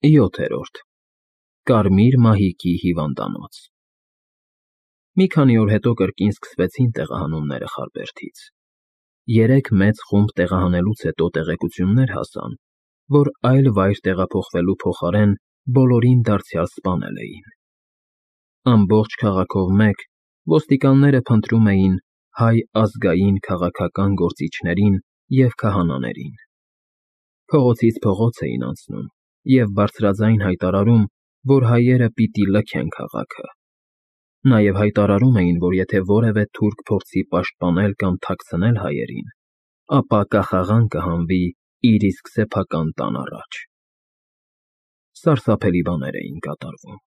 7. Կարմիր մահիկի հիվանդանոց։ Մի քանի օր հետո կրկին սկսվեցին տեղահանումները Խարբերդից։ 3 մեծ խումբ տեղահանելուց հետո տեղեկություններ հասան, որ այլ վայր տեղափոխվելու փոխարեն բոլորին դարձյալ սպանել էին։ Ամբողջ քաղաքով մեկ ոստիկանները փնտրում էին հայ ազգային քաղաքական գործիչներին և քահանաներին։ Փողոցից փողոց էին անցնում և բարձրաձայն հայտարարում, որ հայերը պիտի լքեն քաղաքը։ Նաև հայտարարում էին, որ եթե որևէ թուրք փորձի պաշտպանել կամ թաքցնել հայերին, ապա կախաղան կհանվի իր իսկ սեփական տան առաջ։ Սարսափելի բաներ էին կատարվում։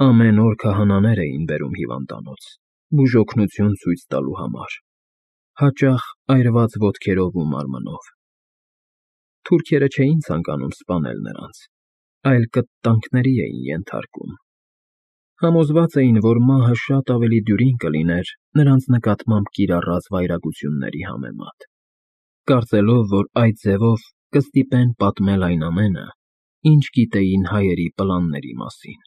Ամեն օր քահանաներ էին բերում հիվանդանոց, բուժօգնություն ցույց տալու համար, հաճախ այրված ոտքերով ու մարմնով։ Թուրքերը չէին ցանկանում սպանել նրանց, այլ կտտանքների էին ենթարկում։ Համոզված էին, որ մահը շատ ավելի դյուրին կլիներ նրանց նկատմամբ կիրառած վայրագությունների համեմատ, կարծելով, որ այդ ձևով կստիպեն պատմել այն ամենը, ինչ գիտեին հայերի պլանների մասին։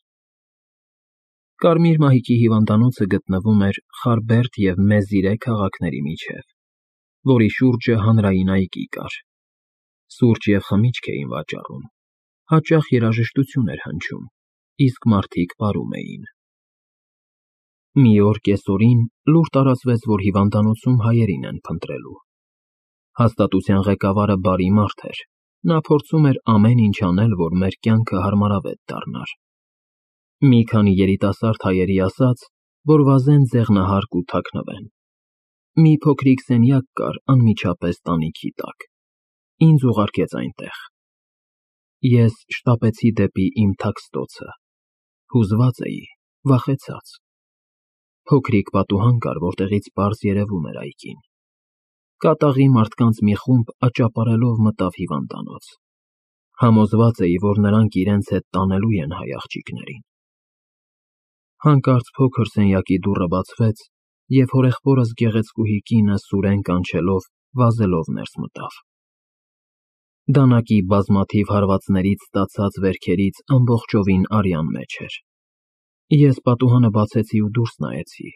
Կարմիր մահիկի հիվանդանոցը գտնվում էր Խարբերդ և Մեզիրե քաղաքների միջև, որի շուրջը հանրային այգի կար։ Սուրճ և խմիչք էին վաճառում, հաճախ երաժշտություն էր հնչում, իսկ մարդիկ պարում էին։ Մի օր կեսօրին լուր տարածվեց, որ հիվանդանոցում հայերին են փնտրելու։ Հաստատության ղեկավարը բարի մարդ էր, նա փորձում էր ամեն ինչ անել, որ մեր կյանքը հարմարավետ դառնար։ Մի քանի երիտասարդ հայերի ասաց, որ վազեն ձեղնահարկ ու թաքնվեն։ Մի փոքրիկ սենյակ կար անմիջապես տանիքի տակ։ Ինձ ուղարկեց այնտեղ։ Ես շտապեցի դեպի իմ թաքստոցը։ Հուզված էի, վախեցած։ Փոքրիկ պատուհան կար, որտեղից պարզ երևում էր այգին։ Կատաղի մարդկանց մի խումբ աճապարելով մտավ հիվանդանոց։ Համոզված էի, որ նրանք իրենց հետ տանելու են հայ աղջիկներին։ Հանկարծ փոքր սենյակի դուռը բացվեց, և հորեղբորս գեղեցկուհի կինը սուրեն կանչելով վազելով ներս մտավ։ Դանակի բազմաթիվ հարվածներից ստացած վերքերից ամբողջովին արյան մեջ էր։ Ես պատուհանը բացեցի ու դուրս նայեցի։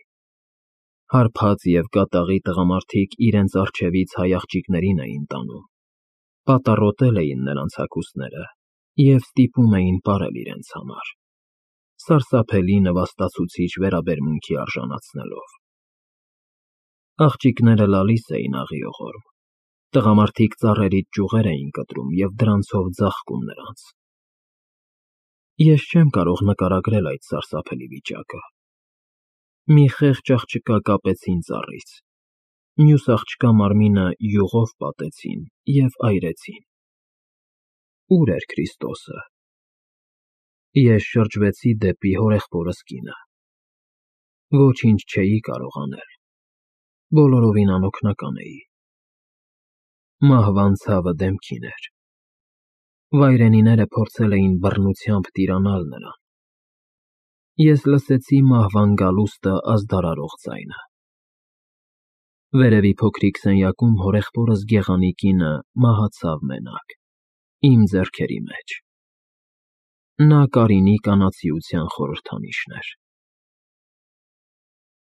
Հարբած և կատաղի տղամարդիկ իրենց առջևից հայ աղջիկներին էին տանում, պատառոտել էին նրանց հագուստները և ստիպում էին պարել իրենց համար, սարսափելի նվաստացուցիչ վերաբերմունքի արժանացնելով։ Աղջիկները լալիս էին աղիողորմ, տղամարդիկ ծառերից ճյուղեր էին կտրում և դրանցով ձաղկում նրանց։ Ես չեմ կարող նկարագրել այդ սարսափելի վիճակը։ Մի խեղճ աղջկա կապեցին ծառից, մյուս աղջկա մարմինը յուղով պատեցին և այրեցին։ Ո՞ւր էր Քրիստոսը։ Ես շրջվեցի դեպի հորեղբորս կինը։ Ոչինչ չէի կարող անել, բոլորովին անօգնական էի։ Մահվան ցավը դեմքին էր։ Վայրենիները փորձել էին բռնությամբ տիրանալ նրան։ Ես լսեցի մահվան գալուստը ազդարարող ձայնը։ Վերևի փոքրիկ սենյակում հորեղբորս գեղանի կինը մահացավ մենակ, իմ ձեռքերի մեջ։ Նա Կարինի կանացիության խորհրդանիշն էր։